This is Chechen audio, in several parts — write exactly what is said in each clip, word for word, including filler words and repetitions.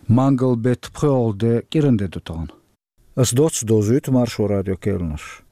Мангал бетта пхоьалгӀа де кӀиранде ду тахана. Ас доцца довзуьйту Маршо радион керланаш.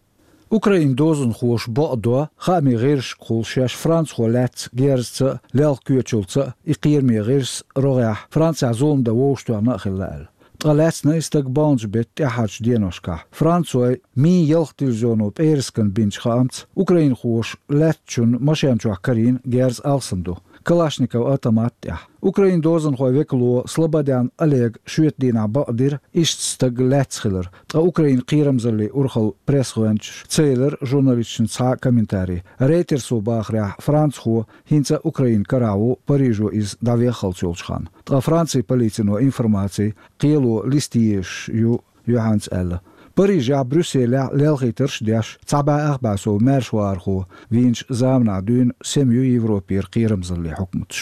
Украин дозанхоша бакъдо, хаамийн гӀирсашкахула шаьш францхо лаьцна герзаца а, лелха коьчалца а, и кхераме гӀирс рогӀехь Францехь зулам дан вовшахтоьхна а хилла аьлла. Ткъа лаьцна и стаг баханчу бетта тӀаьххьарчу деношкахь. Францой Ми ялх дивизионо пӀераскан бинчу хаамца, украинхоша лаьцначун машен чохь карийна герз алсам ду, Калашников автомат тӀехь. Украин дозанхойн векало Слободян Олега шоьтан дийнахь бакъдира иштта стаг лаьцна хилар, ткъа Украин кхерамзаллин урхаллин пресс-гӀоьнчаша ца елира журналисташна цхьа а комментарий. Рейтерсо бахарехь, францхо хӀинца а Украинан карахь ву, Парижо иза дӀавеххалц йолчу ханна. Ткъа Францин полицино информаци кхело листа езаш ю юьхьанца аьлла. Парижехь, Брюсселехь лелхийтарш а деш, цхьа бӀе ах бӀе сов маьршавахархо вийначу заманахь дуьйна сема ю Европера кхерамзаллин хьукматаш.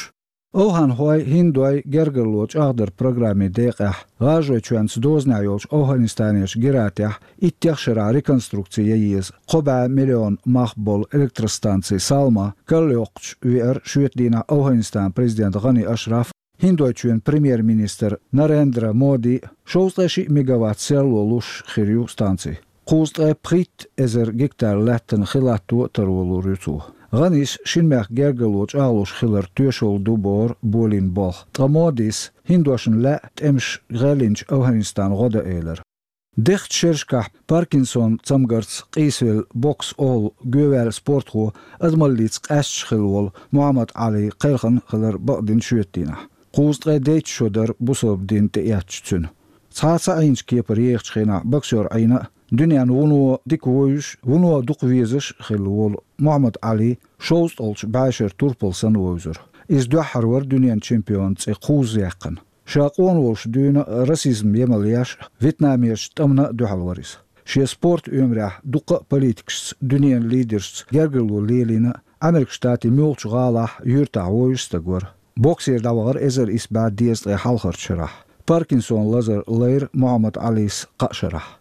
ОвхӀанхой, хӀиндой гергарло чӀагӀдаран программин декъехь, ГӀажаройчоьнца дозанехь йолчу Овханистанерчу Гератехь иттех шарахь реконструкци ян еза, кхо бӀе миллион мах болу электростанци Салма карайоккхучу веара шоьтан дийнахь Овханистанан президент ГӀани Ашраф, ХӀиндойчоьнан премьер-министр Нарендра Моди а. Шовзткъе шиъ мегаватт серло луш хир ю станци. Кхузткъе пхийтта эзар гектар лаьттан хи латто а таро лур ю цо. ГӀанис шина мехкан гергарло чӀагӀлуш хилар тоьшалла ду бохура болийна болх. Ткъа Модис хӀиндошна лаьа тӀемаш гӀелйинчу Овханистанна гӀо дан элира. Дехачу шерашкахь Паркинсон цамгарца къийсавелла, бокс олу гоьваьлла спортхо, адамаллица къаьсташ хилла волу Мухьаммад Ӏали кхелхина хилар бакъдина шоьтан дийнахь. Кхузткъе дейтта шо дара бусалба дин тӀеэцча цуьнан. Цхьа а ца Ӏийначу кепара ехачу хенахь боксер Ӏийна а, дуьненна вуно дика вовзаш, вуно дукха везаш а хилла волу Мухьаммад Ӏали шовзткъалгӀачу бӀешеран турпал санна вовзура. Иза дуьххьара вара дуьненан чемпионан цӀе кхузза яьккхина. Ша къона волуш дуьйна а, расизм емал еш а, вьетнамерчу тӀамна а дуьхьал вара иза. Шен спорт оьмарехь дуккха а политикашца, дуьненан лидершца гергарло лелийна а, Америкин Штатийн муьлххачу гӀалахь, юьртахь вовзаш стаг вара. Боксера дӀавахара эзар исс бӀе дезткъе хьалхарчу шарахь. Паркинсон лазар лайра Мухьаммад Ӏалис кхаа шарахь.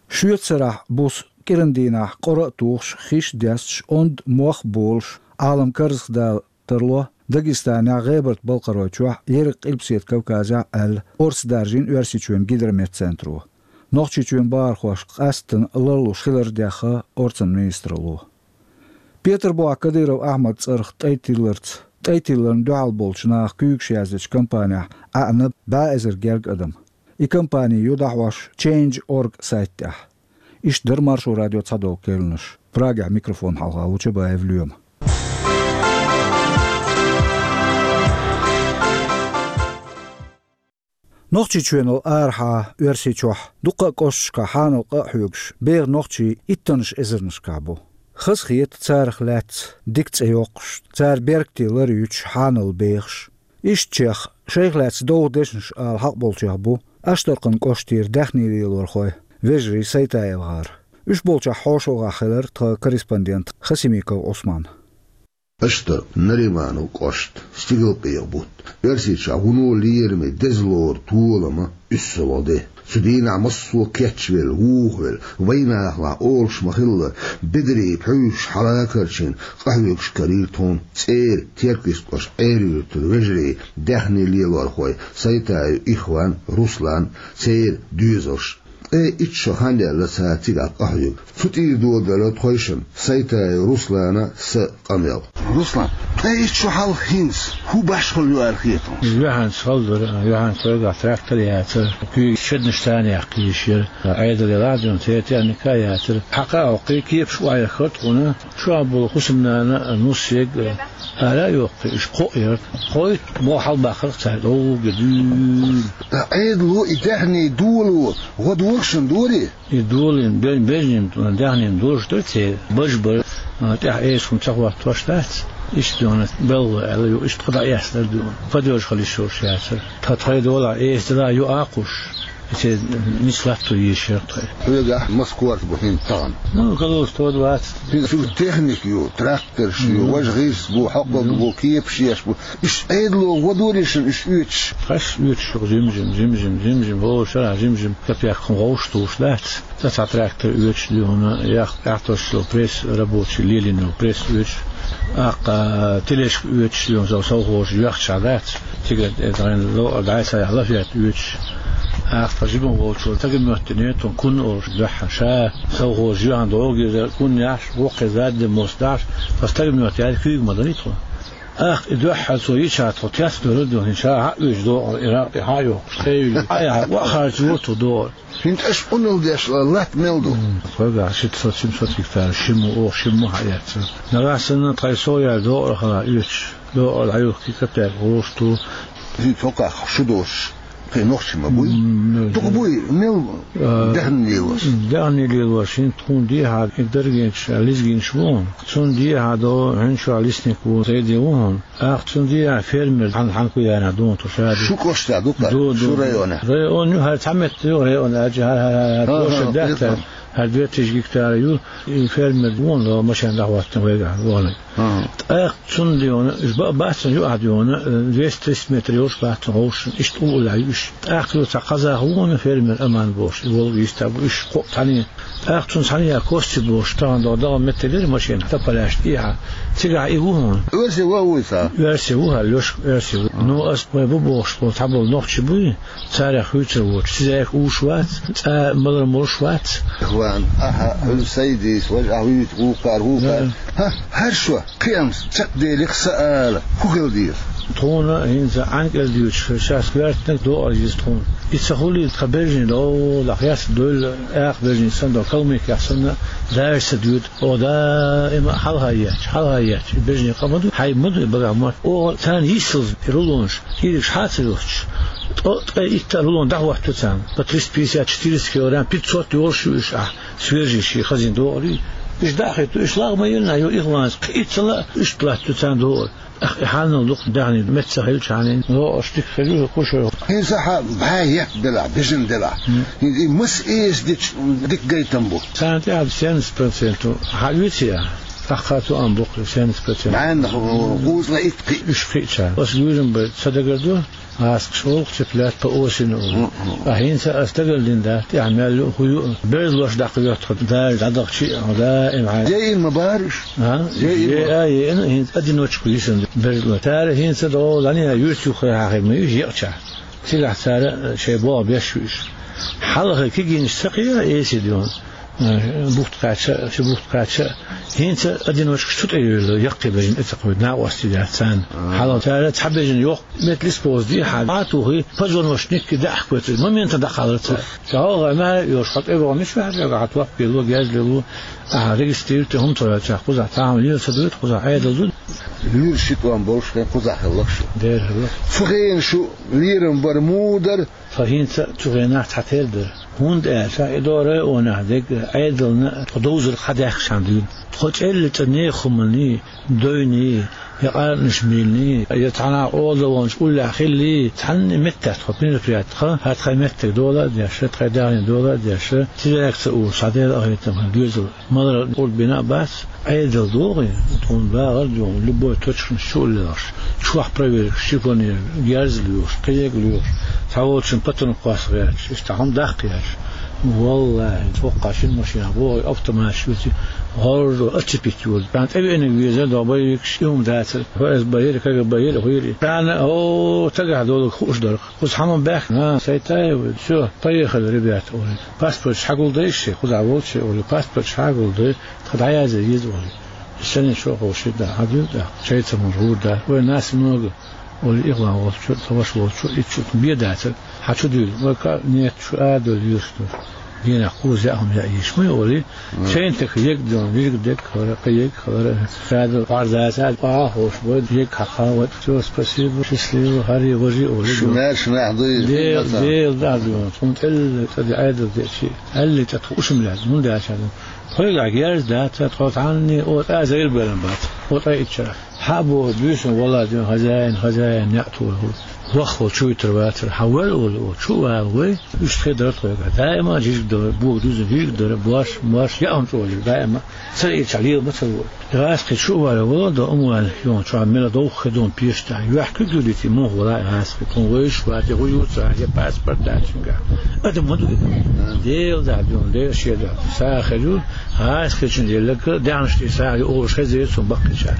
Шоьтан сарахь буса кӀиран дийнахь къора а тухуш, хиш а десташ, онда мох а болуш, Ӏалам карзахдала тарло Дагестанехь, ГӀебарта-Балкхаройчохь, Ерриг Къилбаседа Кавказехь аьлла, орца даржийна Оьрсийчоьнан гидрометцентро. Нохчийчоьнан бахархошка къаьсттина ларлуш хилар дехна орцан министралло. Петарбохь Кадыров Ахьмадан цӀарах тӀай тилларца, тӀай тилларна дуьхьал болчу наха куьйгаш яздечу кампанехь Ӏаьъна бӀе эзар гергга адам. И кампани ю дӀахьош Change Org сайта тӀехь. Иштта дара Маршо радион цхьадолу керланаш. Прагехь микрофон хьалха ву Чабаев Лоьма. Нохчийчоьнал арахьа Оьрсийчохь дуккха а кӀошташкахь хьанал къа а хьоьгуш, беха нохчий иттаннаш эзарнашкахь бу. Хазахета царах лаьцна дика цӀе йоккхуш, цара беркате лар юьтуш хьанал бехаш. Ишттачех, шайх лаьцна довха дешнаш ала хьакъ болчех бу Аштаркхан кӀоштера даьхни лелорхой, вежарий Сайтаевгара. Уьш болчохь хьошалгӀахь хилира тхан корреспондент Хасимиков Ӏусман. Аштаркхан, Нариманов кӀошт, Стигалкъекъа бутт, Оьрсийчохь вуно лераме деза лоран толам а, уьссалгӀа де. Цу дийнахь массо а кечвелла, вухавелла, вайнахалахь олуш ма-хиллара, бедарий пхьуьйсуш хьалакарчийна къахьоьгуш карийра тхуна цӀера Теркйист кӀоштан Ӏер-юьртара вежарий, даьхни лелорхой Сайтаев Ихван, Руслан, церан доьзалш. Ткъе итт шо хан даьлла цара цигахь къахьоьгу. Цу тӀера доладелла тхойшинна, Сайтаев Руслана, сан къамел. Руслан, ткъе итт шо хьалха хӀинца хӀун башхалла ю аьлла хета хьуна? Юьхьанца хала дара, юьхьанца вайгахь трактор яцара, куьйга шеднаш царна яккха йиш яра. Ӏедал елахь а дуьйна, церан техника а яцара. Хьакха а хьокхий, кепаш охьаяххара тхуна, чохь болу хӀусамнана а, нус ерг а ара а йоккхий, уьш кхоъ яра. Кхойтта мо хьалабаьккхира цара, догӀуге дуьйна. Ткъа Ӏедало и даьхни доло гӀо догӀуш шуна дорий? И долийна бе-, бежнийн даьхнина долуш дара церан, баж бара, а, тӀехь эса хӀума ца хӀоттош дац. Иштта дуьйна белхало аьлла ю, иштта кху дӀаэцна дара дуьйна. Падежа хила йиш йолуш яцара. Тхан тхайн долахь эса дала ю а кхуш. Те нислатту ешер тхо. Хьоьгахь мас корта бу хӀинца тахана? Ну, калус тодвац. Хин цу техника ю, тракторш ю, важа гӀирс бу, хьокхаг бу, кепаш еш бу. Уьш Ӏедало гӀо доришан уьш оьцуш. Хаш оьцуш жим-жим, жим-жим, жим-жим, вовшара жим-жим, капекхун вовш туш дац. Цхьа трактор оьцуш дуьхьуна, ях, ахьтошчул пресс рабочий, лелино пресс оьцуш, аккха тележка оьцуш дуьхьуна, сов-, совхоза йоьхча дац. Тига, э, дӀайса яхь лафет оьцуш. Ахьтха жибан волчул тага моьттине, тун кун олуш дуьхьа. Ша совхоза юьхьан догӀу гирза кун яхьаш, воккхе задде мос дахьаш, тха стага моьтту яьлла куьйга ма дарий тхо. Ахьтха и дуьхьа цо йича тхо тес дора дуьхьа, ша хьа оьцуш догӀу, и ракъ тӀе хьа йохкуш, тхевили. Хьа яхьа, вахарча воту догӀу. ХӀинца аша къуналла деш латта мел ду? М, тхоьгахь шийтта сот, семь сот гектар шиммо, оха шиммо хьаэцна. Нагахь санна тхай со яр догӀар хала оьцуш, догӀар дӀаюхкий капек гӀошту. ХӀинца хӀокхах шу доцуш, кхин нохчий ма буй? М, дукха буй, мел а, даьхни лелош? Даьхни лелош, хӀинца тхуна дехьа, и даргинчу, лизгинчу ву хьуна. Цунна дехьа до, хӀинца чохь лесник ву, Зайди ву хьуна. Ахьтха цунна дехьа фермер хьан-, хьанна кху яьнна дуна тхо ша. Шу кӀоштахь ду-кх, ду, шу ду, районехь? Район ю, хӀара цхьа метта ю, район аьлча, хӀара, хӀара, хӀара, ага, площадь даьттара, хӀара две тысячи гектара ю, и фермер вон, машен дӀахӀоттина вайгахь, вон. Ага. ТӀаккха цунна дехьа, уьш ба-, бац цунна юкъахь дехьа, э, двести-триста метр йолуш бац цунна гӀовшашна, иштта уллехь ю уьш. ТӀаккха ю цхьа казах вон фермер Аман бохуш, и волга йистаб, уьш кхоъ цхьаьна. ТӀаккха цунна цхьаьна я кости бохуш, тахана догӀу дагӀан меттиг дира машина, тополяш тӀехьа. Цигахь и ву хьуна. Оьрси ву вуй ца? Оьрси ву хьал, Лёшка оьрси ву. Ну, ас вай бу бохуш, бо цхьаболу нохчий буй, царах хуьйцур воцуш. Циза уьш вац, цӀа малар молуш вац. Ван, ахьа, хьуьлла Сайдис, важа ахьа вуьйцу, вукхар, вукхар. Да. ХӀа, хӀара шо, кхиамс, чекхделих са ала, хӀу хила деза? Тхуна хӀинца Ӏанкъел дуьйцуш, шаьш коьртаниг догӀар йиза тхуна. И ца хулийта тхан бежнийн долахь, яц дуьйла, аькха бежнийн санна до, калмыкех санна, даже ца дуьйта. Оха даима а хьалха етташ, хьалха етташ, и бежнийн къа ма ду, хьай ма ду и багахь мотт. Оха царна йиссалц и рулонаш, кӀиригаш хьа а ца йохуш, ткъа, ткъе итт а рулон дӀахӀотту царна, по триста пятьдесят, четыреста килограмм, пятьсот йолуш ю уьш ахь, свежий шен хазийна догӀарий. Уьш дӀа а хӀитту, уьш лагӀа ма елла, ю ихванца, кхин итт ца лаьа, иштта латту царна догӀар. Ах, и хьанал дукха даьхни меттах хилча хьанийн, лоӀаш дика хир ю, кхуьшо. ХӀинца хьан бӀе етта делахь, бежан делахь. М. ХӀинца и маса эца дича дика гайтам бу. Царна тӀехь семьдесят процент хьан оьций ахь? ТӀаккха цу ам бу-кх семьдесят процент. БӀеннах, кхузткъе итт кхиъ. Уьш кхиъча. Ас гуьйрам бай, ца дагар ду? ГӀаскхаш олу-кх цыплят по осени олу. М-м. Ткъа хӀинца ас дагалдина дац, тӀехь мел ю, хӀу ю, берзалош даккха йоьтту тхо, Дала дӀадахчи а, даим хьайн. Еана ма бара уьш? А? Еана ма. Е-, а, еана, хӀинца одиночку йисина берзалош. Цара хӀинца догӀу, лаьнна юьртах юххе хьахийна ма ю, екъчахь. Цигахь цара шайн богӀу беш ю уьш. Хьалха кегийнаш ца кхиа, эсий дуьйна. Э, бухт кхаьчча, ши бухт кхаьчча, хӀинца одиночкаш цу тӀе йевлла, яккхий бежан тӀе ца кхуьйту, накъостий дац царна. А. Хьалха цара цхьа бежан йоккха метлис поза дийхьа, а тухий, позвоночникки даьӀахкойтуш, моментан дӀакхаллар цара. Ша гӀалгӀай маьре а йолуш, хьо тӀе вахана мичахь ваьлла, хьан топ белло, герз лелло, ахьа регистрировать, хӀума ца хилча, кхузахь цхьа хӀума лела ца дуьйту, кхузахь Ӏедал ду. Луьра ши тонна болуш хен кхузахь хилла шу. Дера хилла. Цу хенахь шу лерам бар муха дара? Тхо хӀинца цу хенахь цхьатерра дара. ХӀунда аьлча и догӀу районехь дерг Ӏедална тхо довзарг хьадаьхкачхьана дуьйна. Тхо чӀеллачу нехан хӀуманний, дойний, я къаркъанаш мийлений, я цхьана къола ваханчу уллехь хиллий, цхьанна а меттехь тхо мероприяти тхан, хӀара тхайн меттиг дола а деш, тхайн даьхни дола а деш, цигахь ца уллуш, цхьа Дела къахетам хилла доьзал. Малар къурд бина а бац, Ӏедал догӀий, тхуна багӀар а дуьйна, любой точканаш чу а лелхаш, чохь проверкаш, шифоньер, герз а лоьхуш, кхин ерг а лоьхуш, цхьаволчун патрон кхосса гӀерташ, иштта хӀума даккха еш. ВаллахӀи, цхьа хӀокху шина машинах богӀий автоматаш виций, гӀорро оцепить йолу. Царна тӀевеаниг везара, догӀу боевикаш, и хӀума дацара, ФСБ йира, КГБ йира, хӀу йира. Царна, о, цигахь долург хууш дара. Кхуза хьан ма баьхкина, а, Сайтаев, всё, поехали, ребята, олий. Паспорташ хьагулдай шайн, кхузахь волчу олий, паспорташ хьагулдай, тхан дӀаязъе еза олий. Санна чохь вовший да, хьан дуьйла тӀаккха, шайца мур гӀур да. Вай нас много, олий, ихван волчу, тхан ваша волчу, итт шу бен дацара. Хьан чу дуьйла, вай ка нет, шу а дуьйла, юьрш ду. Генах кхуза яа хӀума яа йиш ма ю олий. Шайна тӀе ерг дан, вирг дерг хилара, кхин ерг хилара, ша ду, гӀарзаца, а, хӀорш бой, ерг хьакха, вай, всё, спасибо, счастливо, хӀарий, важий олий. Шу маьрша нах дуй, Дела, Дела дӀа дуьйна, тхуна тӀелла цӀа де, Ӏедал деъчи, аьлли цӀа тхо ушам лаьцна, хӀунда аьлча, тхоьгахь герз дац, тхо цхьанний, о, тӀа зайла белан бац, о, тӀа иччара. Хьа боху буьйсанна вала дуьйна хозяин, хозяин неӀ тухур. Ваххал чу витар вацар, хьан вал олу, олу, чу а вала вай, уьш тхе дара тхойга. Даима жижиг дара, бога дуьзна вига дара, бош, мош, яа хӀума чӀогӀа даима. Ца ича лела ма ца вара. ГӀаскхи чу а вала вала до умван, юн чу мела довха хи дун пешта. Юьхь куьг юлити мух вала гӀаскхи. Тхун вайш вати гӀу юца, я паспорт дачинга. Адам ма ду и. Дел да дуьн, дел шеда. Сахалу, гӀаскхи чин еллага, дяншти сахалу, олуш хезер цун баккхича.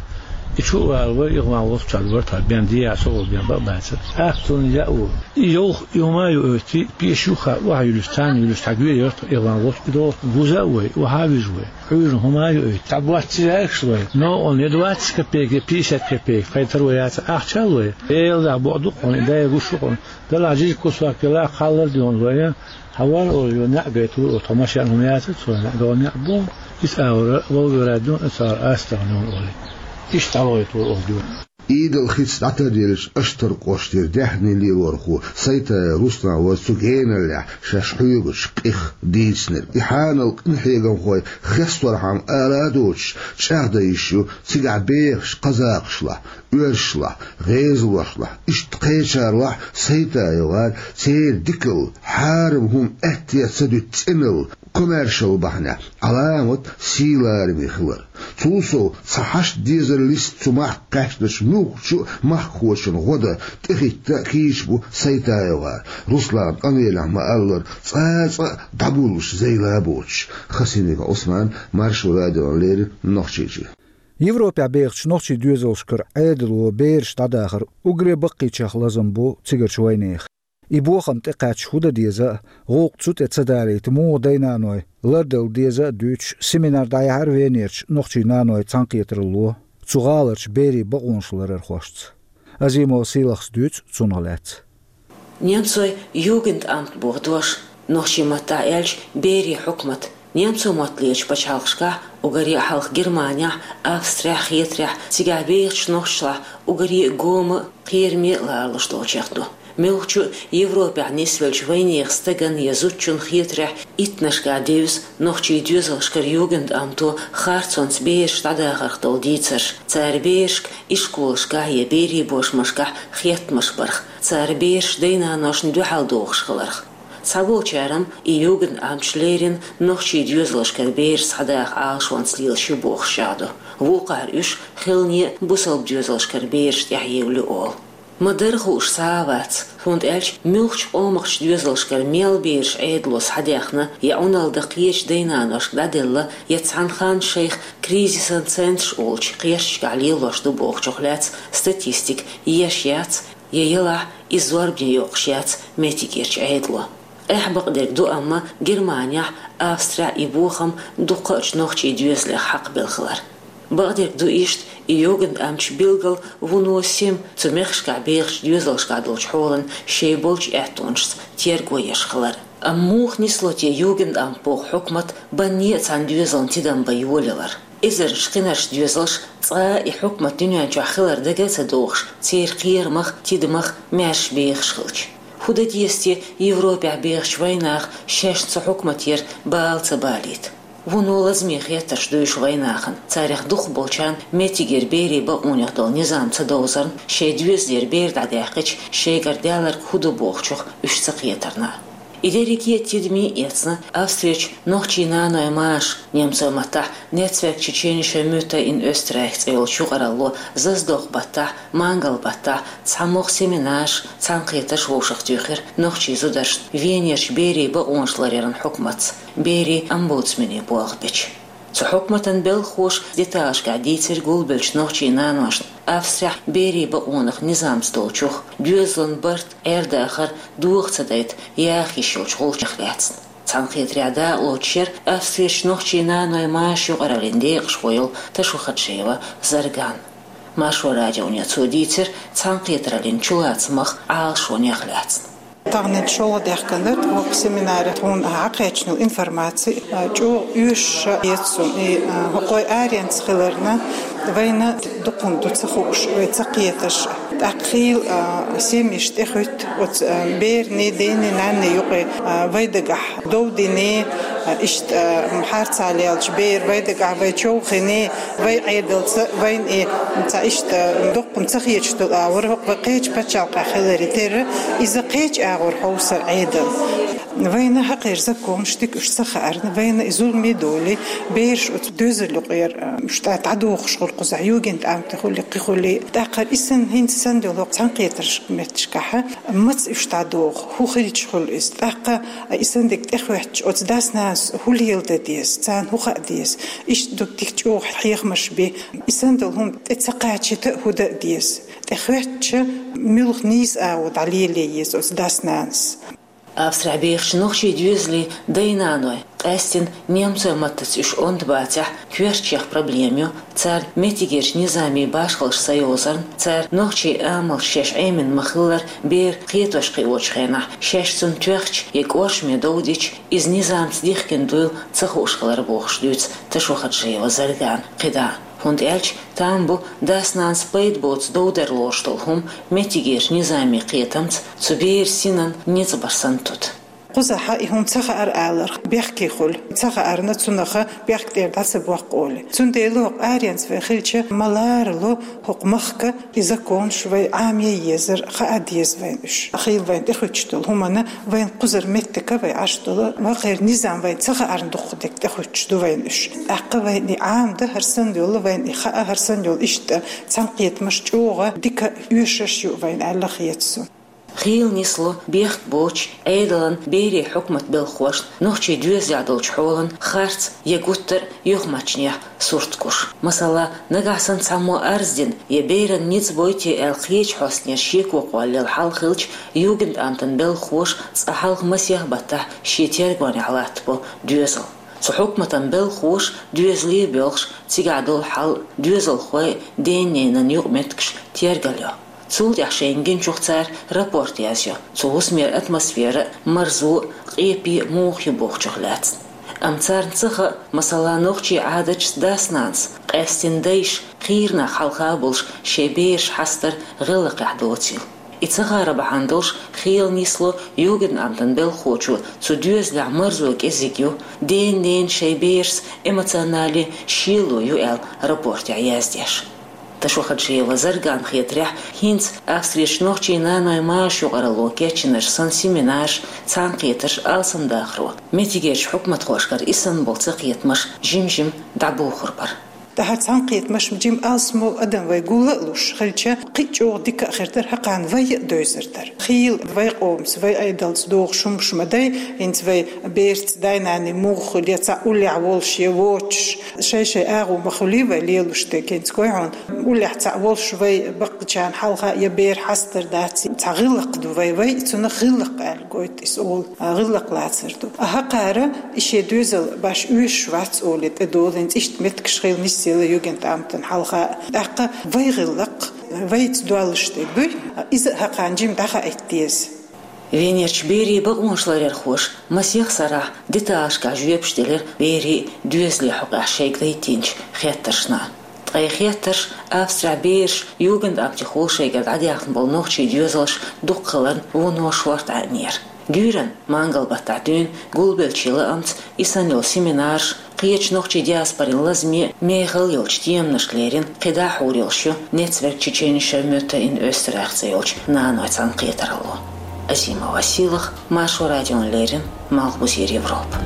И чу а вала вай, и гӀан вовча вара тха бен дия, со вол бен бакъ бацар. Ахтун яа ву. И йовх, и хӀума ю оьти, пеш юха, ваха юлуш, царна юлуш, тхьа гуьйр яртах, и гӀан вовча, и догӀу, вуза а вай, ваха вижа вай. Хьуьйран хӀума ю оьти. Цхьа боц ца яьккхаш вай. Но он я двадцать копеек, я пятьдесят копеек, кхайтар вай яца ахча а вай. Эла дахь боху дукха хьуна, и дая гуш ву хьуна. Дала жижиг кусок кила кхаллар дуьйна вай. Хьавар олу, ю неӀ гайтур, о, тхо машен хӀума яцар, цо неӀ догӀу неӀ бу. Ис агӀора, вовгара дуьйна, цара астагӀа нуна олу. Иштта гӀалгӀайтур олу дуьйна. Идал хица дӀатарделлачу Аштар кӀоштара даьхни лелорхо Сайтаев Руслан вара цу геналлехь шаьш хьоьгучу къих дийцинарг. И хьанал къинхьегамхой хесторхьама ала а доцуш, чӀагӀдан йиш ю, цигахь бехаш кхазакхашлахь, оьрсашлахь, гӀезалошлахь, иштта кхечарлахь Сайтаевгара церан дикалла, хьарам хӀума аьттехьа ца дуьту цӀеналла, комаьршалла бахьанехь, Ӏаламат сийлараме хилар. Цул сов, цхьа хьашт дезар листа цу махка кхаьчначу муьлххачу а махкахочун гӀо дан тӀехӀитта а кийча бу Сайтаевгара. Руслана къамелехь ма-аллара, цкъа а цкъа а дӀагуллуш зайла а боцуш. Хасимиков Ӏусман, Маршо радиона леррина, Нохчийчоь. Европехь бехачу нохчийн доьзалшкара Ӏедало бераш дӀадахар уггаре баккхийчех лазам бу цигарчу вайнехан. И бохам тӀекхаьчча хӀун дан деза а, гӀуллакх цу тӀе ца далийта муха дай-наной ларделла деза а дуьйцуш, семинар дӀаяьхьира Венерчу нохчийн наной цхьаьнакхетаралло цу гӀаларчу берийн бакъонаш ларархошца. Азимова Сийлахас дуьйцу цунах лаьцна. Немцойн Югендамт боху дош, нохчийн маттахь аьлча, берийн хьукмат. Немцойн матталерчу пачхьалкхашкахь, уггаре а хьалха Германехь, Австрехь, Хетарехь, цигахь бехачу нохчашлахь уггаре а гома а, кхераме а ларалуш долчех ду. Муьлххачу а Европехь нисвеллачу вайнехан стагана я зудчунна хетарехь, иттаннашкахь девза нохчийн доьзалшкара Югендамто харцонца бераш дӀадахарх долу дийцарш, цара берашка ишколашкахь я берийн бошмашкахь хеттамаш барх, цара бераш дай-наношна дуьхьал дохуш хиларх. Цхьаболчара-м и Югендамташ лерина нохчийн доьзалшкара бераш схьадаха Ӏалашонца лелаш ю бохуш чӀагӀдо. Вукхара уьш хилане а бусалба доьзалшкара бераш тӀехьаевлла ю олу. Ма-дарра хууш схьа а вац, хӀунда аьлча муьлххачу къомахчу доьзалшкара мел бераш Ӏедало схьадаьхна, я Ӏуналла дан кхечу дай-наношка дӀаделла, я цхьана ханна шайх кризисан центраш олучу кхерчашкахь лелош ду бохучух лаьцна статистика еш яц, я елахь, иза зорбане йоккхуш яц меттигерчу Ӏедало. Эхь, бакъдерг ду, амма Германехь, Австрехь и бохам дуккхачу нохчийн доьзалех хьакхабелла хилар. Бакъдерг ду иштта и Югендамташ билггал вуно сема цу мехкашкахь бехачу доьзалшкахь долчу хьолан шайн болчу аьттонашца терго еш хилар. Амма муха нисло те Югендамт боху хьукмат банне а цхьана доьзална тидам бан йолаялар? Эзарнаш кхинарш доьзалш цкъа а и хьукмат дуьнен чохь хилар дага а ца дохуш, церан кхерамах, тидамах маьрша бехаш хилча. ХӀун дан деза те Европехь бехачу вайнаха шаьшна цу хьукматера бала ца балийта? Вуно лазаме хеттарш ду уьш вайнахана, царах дукхахболчарна меттигера берийн бакъонех долу низам ца довзарна, шайн доьзалера бер дӀадаьккхича, шайгара даьлларг хӀун ду бохучух уьш ца кхетарна. И дерриге а тидаме а эцна, Австрерчу нохчийн наной Маша, немцойн маттахь Netzwerk tschechischer Mütter in Österreich цӀе йолчу юкъаралло заздокху баттахь, мангал баттахь цхьамогӀа семинарш, цхьаьнакхетарш вовшахтоьхира нохчийн зударшна Венерчу берийн бакъонаш ларъяран хьукматца, берийн омбудсмене болх бечу. Цу хьукматан белхахоша деталашкахь дийцира гулбеллачу нохчийн наношна Австрехь берийн бакъонах низамца долчух, доьзалан барт, Ӏер-дахар доха ца дайта яха йиш йолчу гӀулчех лаьцна. Цхьаьнакхетарехь дакъалоцуш яра Австрерчу нохчийн наной Машин юкъараллин декъашхо йолу Ташухаджиева Зарган. Маршо радионе цо дийцира цхьаьнакхетараллин чулацамах, Ӏалашонех лаьцна. Тахана шолгӀа даьхкина дара тхо семинаре, тхуна хьакхаьчна информаци, чӀогӀа оьшуш а эцна и, хӀокхой аренца хиларна, вайна дукха хӀума ду ца хууш, вай ца кхеташ. ТӀаккха хийла, а, семьяш тӀехуьтту оцу, а, берийн, дайийн, наннийн юкъе, а, вай дагахь дов дина, а, иштта, а, харцахьа лелачу берийн вай дагахь вай човхийна, вай Ӏедалца, вайна и цхьа иштта доккха ца хеташ долу агӀор, хӀокху вай кхечу пачхьалкхехь хиларе терра, иза кхечу агӀор хьовсура Ӏедал. Вайна хӀокхеран законаш дика уьш ца хаарна, вайна и зуламе долий, бераш оцу доьзалан юкъера, а, уьш тӀе дӀадохуш хуьлу кхузахь, югентамте хуьлий, кхин хуьлий. ТӀаккха и санна, хӀинца санна долу хӀокху цхьаьнакхетарш меттигашкахь, маца уьш дӀадоху, хӀун хилча хуьлу иза. ТӀаккха и санна дерг тӀехӀоьттича, оцу дас-нанас хӀун леладан деза, царна хӀун хаа деза. Иштта ду дика чӀогӀа хьехамаш бен. И санна долу хӀума тӀе ца кхачийта а хӀун дан а деза. ТӀехӀоьттича, муьлха нийса агӀо дӀалелае еза оцу дас-нанас. Австрехь бехачу нохчийн доьзалийн дай-наной, къаьсттина немцойн маттаца уьш онда бацахь, коьртачех проблема ю, царна меттигерчу низамийн башхаллаш ца йовзарна, цара нохчийн амалш шаьш Ӏемина ма-хиллара, бер кхетош кхиочу хенахь, шаьш цунна тоьхча я кӀоршаме дов дича, иза низамца дихкина дуйла ца хууш хилар бохуш дуьйцу Ташохаджиева Заргана кхидӀа. ХӀунда аьлча там бу дас-нанас пайда боцу дов дар лоруш долу хӀума меттигерчу низамийн кхетамца цу беран синан ницкъ бар санна тута. Кхузахь и хӀума ца хаьара аларх, бехке хуьлу, ца хаарна цунах бехк тӀера дӀа ца боккху олий. Цундела хӀокху аренца вай хилча, ма ларало хӀокху махка и законаш вай Ӏамае езара, хаа деза вайна уьш. Хийла вайна тӀехӀуьттуш долу хӀуманна вайна кхузара меттиг вай Ӏаш долу, вахара низам вайна ца хаарна дуккха дерг тӀехӀуьттуш ду вайна уьш. ТӀаккха вайна и Ӏамадан хӀара санна йолу, вайна и хаа хӀара санна йолу иштта цхьаьнакхетамаш чӀогӀа дика оьшурш ю вайна аьлла хета суна. Хийла нисло бехк боцчу Ӏедалан берийн хьукматан белхахошна нохчийн доьзалехь долчу хьолан харц я гуттар а юхамаьршачех сурт гуш. Масала, нагахь санна цхьаммо арз дина я беран ницкъ бойти аьлла кхечу хьостанера шеко кхоллаелла хьал хилча, югентамтан белхахоша цкъа хьалха масех баттахь шен тергонехь латтабо доьзал. Цу хьукматан белхахоша доьзале а боьлхуш, цигахь долу хьал, доьзалхойн, ден-ненан юкъаметтигаш тергалйо. Цул тӀаьхьа шайна гиначух цара рапорт язйо цу хӀусамера атмосфера а, марзо а, къепе а муха ю бохучух лаьцна. Амма царна ца хаьа, масала, нохчийн Ӏадаташца дас-нанас, къаьсттина дайша, кхийра нах хьалха а болуш шайн бераш хьастар гӀиллакхехь доцийла. И ца хаар бахьана долуш хийла нисло югентамтан белхахочо цу доьзалехь марзо кӀезиг ю, ден-ненан шайн берашца эмоционале шело ю аьлла рапортехь яздеш. Ташохаджиева Заргана хетарехь, хӀинца Австрерчу нохчийн нанойн машан юкъаралло кечйинарш санна семинарш, цхьаьнакхетарш алсамдахаро, меттигерчу хьукматхошкара и санна болу цакхетамаш жим-жима дӀабохур бара. ТӀаьхьа цхьаьнакхетамаш жима алсамо адам вай гуллуш хилча, кхин а чӀогӀа дика а хир дара, хӀокхарна вай а девзар дара. Хийла вай къомаца, вай Ӏедалца догӀуш хӀумаш ма дай, хӀинца вай бераца дай-наной муха хуьлу, я цхьаъ уллехь волуш, я воцуш, шай-шай агӀо ма хуьлий вай лелош дерг, хӀинца гой хьуна, уллехь цхьаъ волуш вай баккхийчарна хьалха я бер хьастар дац, цхьа гӀиллакх ду вай, вай цунах гӀиллакх аьлла гойту иза олу, а, гӀиллакх лацар ду. А хӀокхара и шен доьзал баш оьшуш вац олий тӀедолу, хӀинца иштта меттигаш хийла нисъелла югентамтана хьалха. ТӀаккха вай гӀиллакх, вайца доьллуш дерг дуй, иза а хӀокхарна жима дӀахаийта деза. Венерчу берийн бакъонашларъярхоша масех сарахь деталашкахь жоьпаш делира берийн доьзалийн хьокъехь шайга дайтинчу хеттаршна. Ткъа и хеттарш Австрехь бераш югентамтехула шайгара дӀадаьхна болу нохчийн доьзалш дукха хиларна вуно шорта Ӏаьнера. Гуьйранна мангал баттахь дуьйна гулбеллачийн лаамца и санна йолу семинарш, кхечу нохчийн диаспорин лазаме а мехала йолчу теманашка леррина кхидӀа а хьур йолуш ю Netzwerk Tschetschenisch Mütter in Österreich цӀе йолчу нанойн цхьаьнакхетаралло. Азима Василах, Маршо радиона леррина, Малхбузера Европа.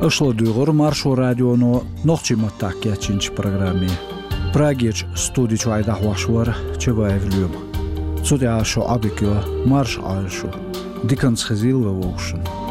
Аша ладуьйгӀура Маршо радионо нохчийн маттахь кечйинчу программе. Прагерчу студи чуьра дӀахьош вара Чабаев Лоьма. Цу тӀехь шун Ӏодика йо, марша Ӏойла шу. Диканца хезийла вай вовшашна.